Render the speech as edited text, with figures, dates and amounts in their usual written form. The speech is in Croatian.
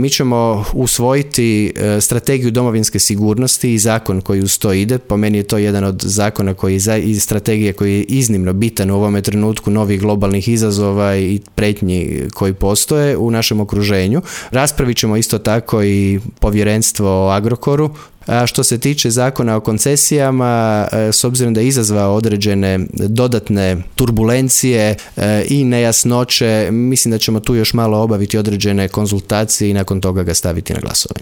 Mi ćemo usvojiti strategiju domovinske sigurnosti i zakon koji uz to ide. Po meni je to jedan od zakona i strategije koji je iznimno bitan u ovome trenutku novih globalnih izazova i pretnji koji postoje u našem okruženju. Raspravit ćemo isto tako i povjerenstvo o Agrokoru. A što se tiče zakona o koncesijama, s obzirom da je izazvao određene dodatne turbulencije i nejasnoće, mislim da ćemo tu još malo obaviti određene konzultacije i nakon toga ga staviti na glasovanje.